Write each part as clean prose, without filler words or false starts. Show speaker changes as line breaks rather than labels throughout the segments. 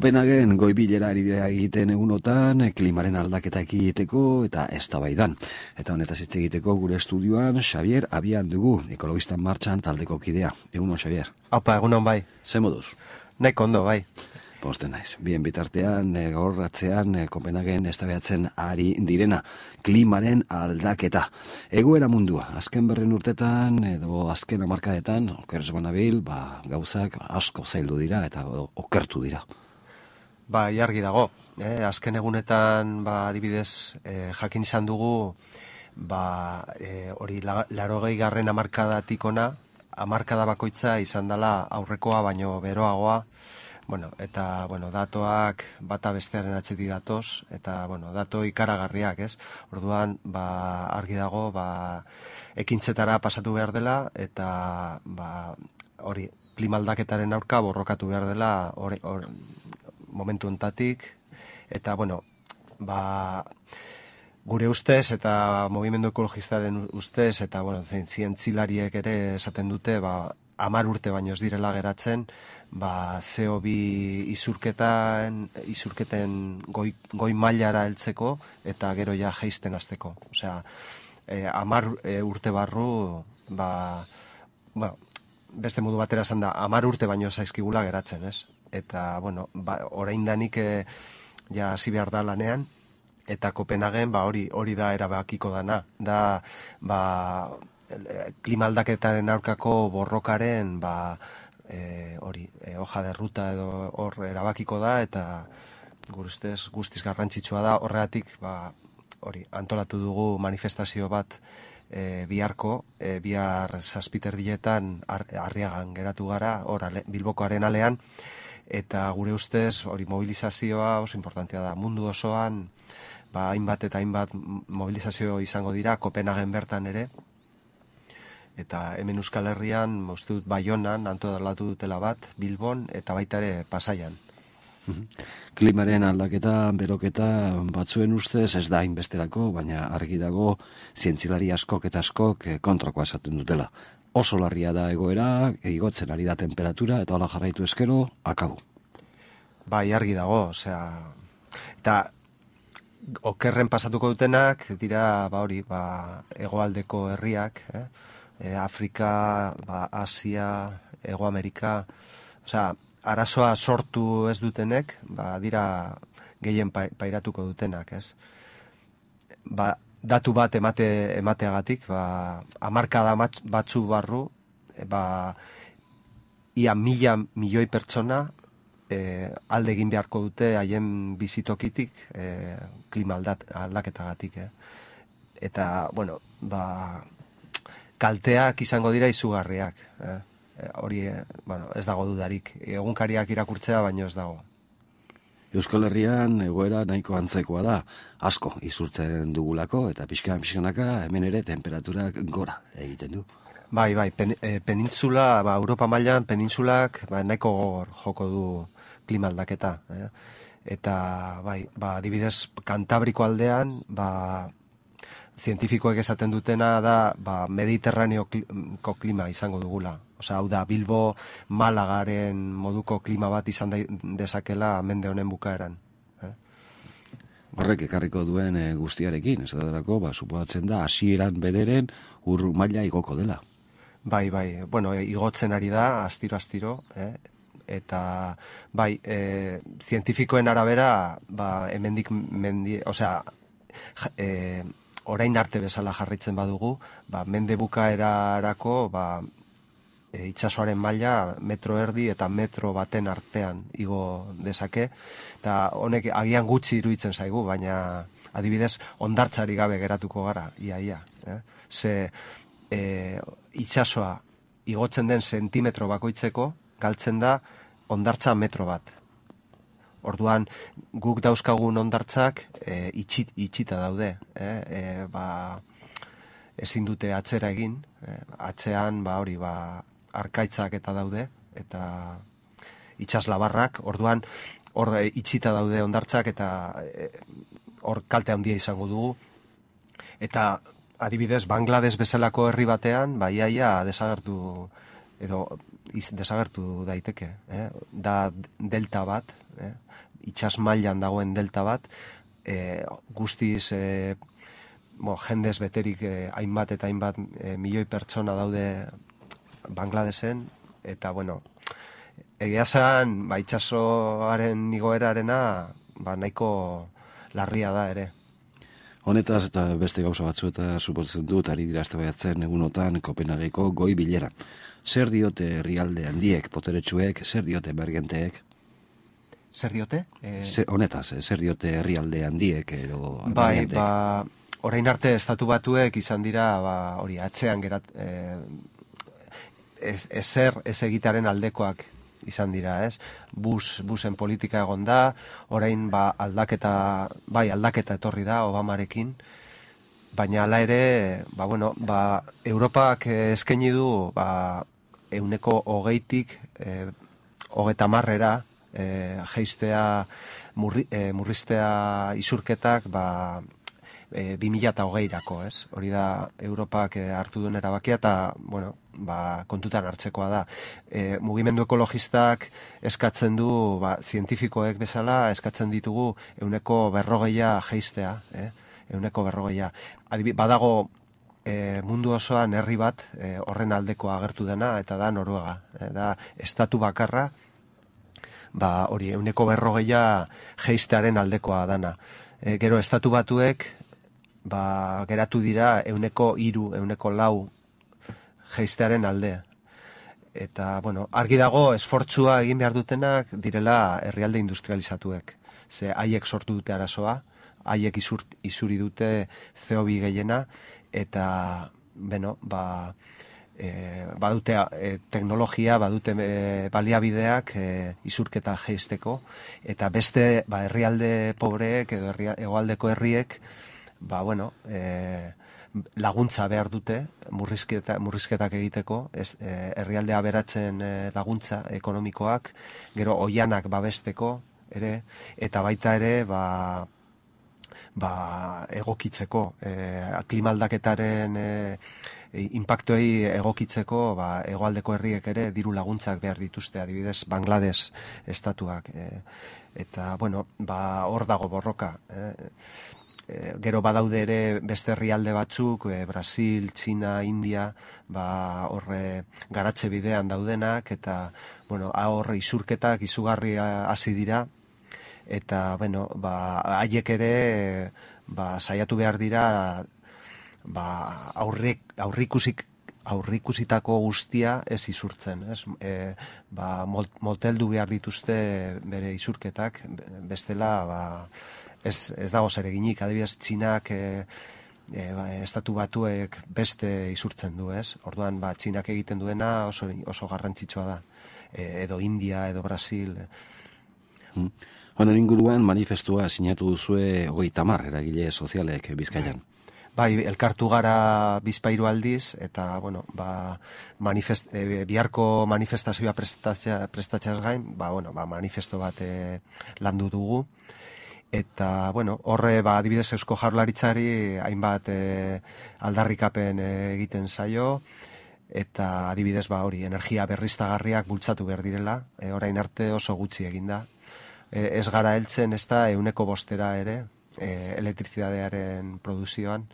Kopenhagen goi-bilera ari dira egiten egunotan, klimaren aldaketa egiteko eta eztabaidan. Eta honetaz hitz egiteko gure estudioan Xabier Abian dugu, Ekologistan Martxan taldeko kidea. Egunon, Xabier.
Aupa, egunon bai.
Ze moduz?
Nahiko ondo bai.
Posten naiz. Bien bitartean, gaurratzean, Kopenhagen eztabaidatzen ari direna, klimaren aldaketa. Egoera mundua, azken berren urtetan edo azken hamarkadetan, okerrez banabil, gauzak asko zaildu dira eta okertu dira.
Bai, argi dago. Azken egunetan, adibidez, jakin izan dugu, hori 80. hamarkadatik ona, hamarkada bakoitza izan dela aurrekoa baino beroagoa. Eta datoak bata bestearen atzetik datoz, eta dato ikaragarriak, ez? Orduan, argi dago, ekintzetara pasatu behar dela, eta hori klima aldaketaren aurka borrokatu behar dela momentu ontatik, eta gure ustez eta movimendu ekologistaren ustez eta zientzilariek ere esaten dute 10 urte baino ez direla geratzen CO2 isurketen goi mailara heltzeko eta gero ja jaisten hasteko. Osea, 10 urte barru beste modu batera esan da 10 urte baino zaizkigula geratzen, ez? Eta, oraindanik ja hasi behar da lanean, eta Kopenhagen hori da erabakiko dana. Da, klima aldaketaren aurkako borrokaren, hoja de ruta edo hor erabakiko da, eta guztiz garrantzitsua da, horregatik, antolatu dugu manifestazio bat bihar 7 erdietan Arriagan geratu gara, Bilboko Arenalean, eta gure ustez hori mobilizazioa oso importantea da. Mundu osoan hainbat eta hainbat mobilizazio izango dira, Kopenhagen bertan ere, eta hemen Euskal Herrian, uste dut Baionan antolatu dutela bat, Bilbon, eta baita ere Pasaian.
Klimaren aldaketa, beroketa batzuen ustez ez da hainbesterako, baina argi dago zientzilari askok eta askok kontrakoa esaten dutela. Oso larria da egoera, igotzen ari da temperatura, eta hola jarraitu eskero, akabu.
Bai, argi dago, osea, eta okerren pasatuko dutenak, dira, hegoaldeko herriak, Afrika, Asia, Hego Amerika, osea, arazoa sortu ez dutenek, dira gehien pairatuko dutenak, ez? Datu bat emateagatik, hamarkada batzu barru, ia 1.000 milioi pertsona alde egin beharko dute haien bizitokitik klima aldaketagatik. Eta, kalteak izango dira izugarriak. Hori, ez dago dudarik. Egunkariak irakurtzea, baino ez dago.
Euskal Herrian egoera nahiko antzekoa da, asko izurtzen dugulako, eta pixkanaka hemen ere temperaturak gora egiten du.
Bai, penintzula, Europa mailan penintsulak nahiko gogor joko du klima aldaketa. Eta, adibidez, Kantabriko aldean, zientifikoek esaten dutena da, mediterraneoko klima izango dugula. Osea, hau da, Bilbo Malagaren moduko klima bat izan dezakela mende honen bukaeran.
Horrek ekarriko duen guztiarekin, ez da suposatzen da, hasieran bederen ur maila igoko dela.
Bai, igotzen ari da, astiro, eta, zientifikoen arabera, hemendik osea, orain arte bezala jarraitzen badugu, mende bukaerarako, itsasoaren maila 1,5 metro eta 1 metro baten artean igo dezake, eta honek agian gutxi iruditzen zaigu, baina adibidez hondartzari gabe geratuko gara, ia. Ze itsasoa igotzen den sentimetro bakoitzeko galtzen da hondartza 1 metro bat. Orduan guk dauzkagun hondartzak itxita daude, ezin dute atzera egin, atzean arkaitzak eta daude, eta itsaslabarrak, orduan hor itxita daude hondartzak eta hor kalte handia izango dugu. Eta adibidez, Bangladesh bezalako herri batean, iaia desagertu desagertu daiteke. Da delta bat, itsas mailan dagoen delta bat, guztiz jendez beterik hainbat eta hainbat milioi pertsona daude Bangladesen, eta egia esan, itsasoaren igoerarena nahiko larria da ere.
Honetaz eta beste gauza batzu eta suposatzen dut ari dira eztabaidatzen egunotan Kopenhageko goi bilera. Zer diote herrialde handiek, boteretsuek, zer diote emergenteek?
Zer diote?
Honetaz, zer diote herrialde handiek edo
emergenteek? Orain arte estatu batuek izan dira, hori atzean ez egitaren aldekoak izan dira, ez? Busen politika egon da, orain aldaketa etorri da Obamarekin, baina hala ere, Europak eskaini du 20%tik 30%ra jeistea murriztea isurketak 2020-rako, ez? Hori da Europak hartu duen erabakia eta, kontutan hartzekoa da. Mugimendu ekologistak eskatzen du, zientifikoek bezala, eskatzen ditugu 40% jeistea, 40%. Badago mundu osoan herri bat horren aldekoa agertu dena, eta da Noruega. Da estatu bakarra, hori 40% jeistearen aldekoa dana. Gero estatu batuek, geratu dira 3%, 4% jeistearen alde. Eta, argi dago esfortzua egin behar dutenak direla herrialde industrializatuek. Ze haiek sortu dute arazoa, haiek isuri dute CO2 gehiena, eta, badute teknologia, badute baliabideak isurketa jeisteko, eta beste herrialde pobreek edo hegoaldeko herriek, laguntza behar dute murrizketak egiteko, herrialdea aberatzen laguntza ekonomikoak, gero oianak babesteko ere, eta baita ere egokitzeko, klimaldaketaren inpaktuei egokitzeko, hegoaldeko herriek ere diru laguntzak behar dituzte, adibidez Bangladesh estatuak, eta hor dago borroka. Gero badaude ere beste herrialde batzuk, Brasil, Txina, India, horre garatze bidean daudenak, eta horre isurketak izugarri hasi dira, eta haiek ere saiatu behar dira aurrikusitako guztia ez isurtzen, ez? Moteldu behar dituzte bere isurketak, bestela ez dago zer eginik, adibidez Txinak estatu batuek beste isurtzen du, ez? Orduan, Txinak egiten duena oso garrantzitsua da, edo India, edo Brasil.
Honen inguruan manifestua sinatu duzue 30 eragile sozialek Bizkaian.
Elkartu gara bizpahiru aldiz, eta, biharko manifestazioa prestatzeaz gain, manifesto bat landu dugu, eta, horre, adibidez Eusko Jaurlaritzari hainbat aldarrikapen egiten zaio, eta adibidez, energia berriztagarriak bultzatu behar direla, orain arte oso gutxi eginda. Ez gara heltzen, ez da 5% ere, elektrizidadearen produzioan,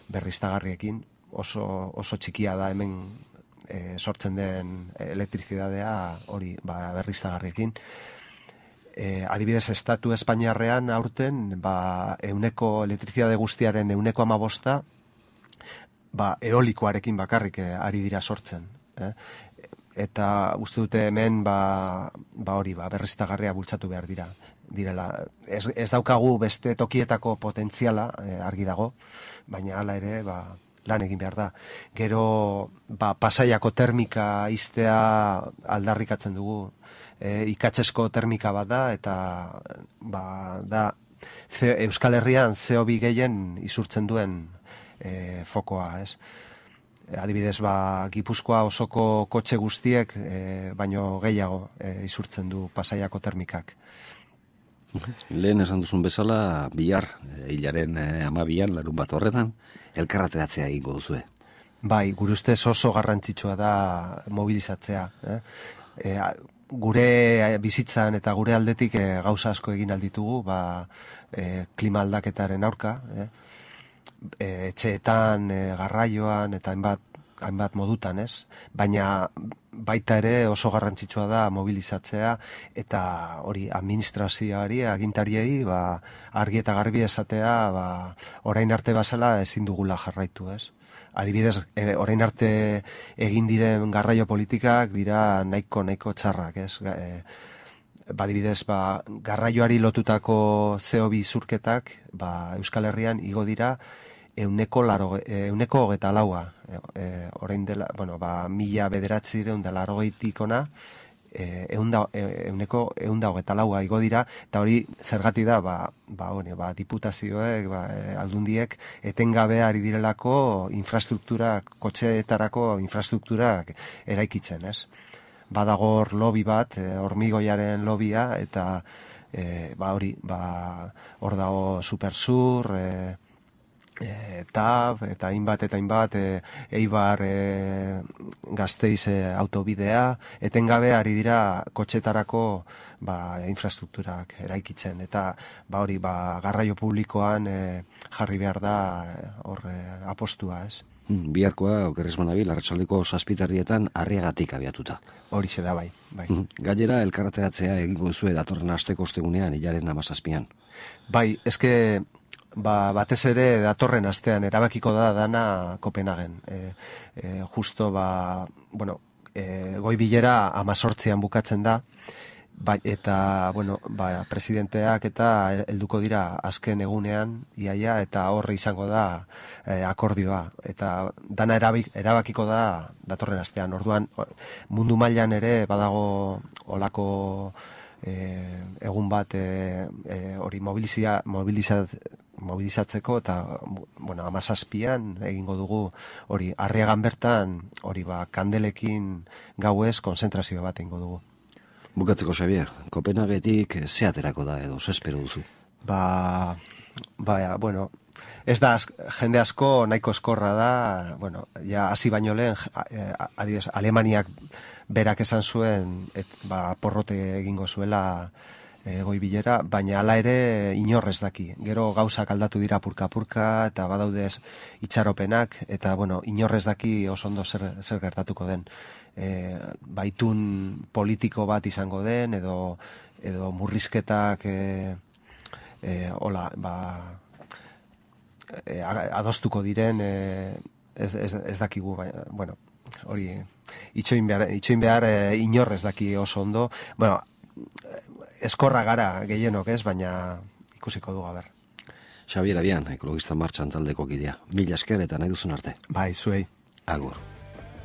berriztagarriekin, oso txikia da hemen sortzen den elektrizidadea hori berriztagarriekin. Adibidez, estatu Espainiarrean aurten, elektrizidade guztiaren 15% eolikoarekin bakarrik ari dira sortzen. Eta uste dute hemen berriztagarria bultzatu behar direla. Ez daukagu beste tokietako potentziala, argi dago, baina hala ere lan egin behar da. Gero Pasaiako termika iztea aldarrikatzen dugu, ikatzesko termika bat da, eta da Euskal Herrian CO2 gehien isurtzen duen fokoa, ez? Adibidez, Gipuzkoa osoko kotxe guztiek baino gehiago isurtzen du Pasaiako termikak.
Lehen esan duzun bezala, bihar, hilaren 12an, larunbat horretan, elkarrateratzea egingo duzue.
Bai, gure ustez oso garrantzitsua da mobilizatzea. Gure bizitzan eta gure aldetik gauza asko egin alditugu, klima aldaketaren aurka, etxeetan, garraioan eta hainbat modutan, ez? Baina baita ere oso garrantzitsua da mobilizatzea eta hori administrazioari, agintariei, argi eta garbi esatea, orain arte bazala ezin dugula jarraitu, ez? Adibidez, orain arte egin diren garraio politikak dira nahiko txarrak, ez? Adibidez, garraioari lotutako CO2 zurketak, Euskal Herrian igo dira 124. Orain dela, 1980 ona, 124 igo dira, eta hori zergatik da, diputazioek, aldundiek, etengabe ari direlako infrastrukturak, kotxeetarako infrastrukturak eraikitzen, ez? Badagor lobby bat, hormigoiaren lobia, eta hor dago Supersur, eta hainbat, Eibar Gasteiz autobidea, etengabe ari dira kotxetarako infrastrukturak eraikitzen, eta garraio publikoan jarri behar da hor apostua, ez?
Biharkoa, okerrez manabil, arratsaldeko 7:00 Arriagatik abiatuta.
Horixe da, bai.
Gainera, elkarreteratzea egingo duzue datorren asteko ostegunean, hilaren 17.
Bai, eske batez ere datorren astean erabakiko da dana Kopenhagen. Justo, goi bilera 18an bukatzen da, eta, presidenteak eta helduko dira azken egunean, iaia, eta horre izango da akordioa. Eta dana erabakiko da datorren astean. Orduan, mundu mailan ere badago olako egun bat hori mobilizatzeko, eta 17an egingo dugu hori Arriagan bertan, hori kandelekin gauez konzentrazio bat egingo dugu.
Bukatzeko, Xabier, Kopenhagetik ze aterako da edo, ze espero duzu?
Ez da, jende asko nahiko eskorra da, ja hasi baino lehen, adibidez, Alemaniak berak esan zuen, porrote egingo zuela goi bilera, baina hala ere inorrez daki. Gero gauzak aldatu dira purka-purka, eta badaudez itxaropenak, eta inorrez daki oso ondo zer gertatuko den. Baitun politiko bat izango den, edo murrizketak adostuko diren, ez dakigu, hori itxoin behar inorrez daki oso ondo. Eskorra gara gehienok, ez, baina ikusiko dugu, ber.
Xabier Abian, Ekologista Martxan taldeko kidea. Mila esker eta nahi duzun arte.
Bai, zuei.
Agur.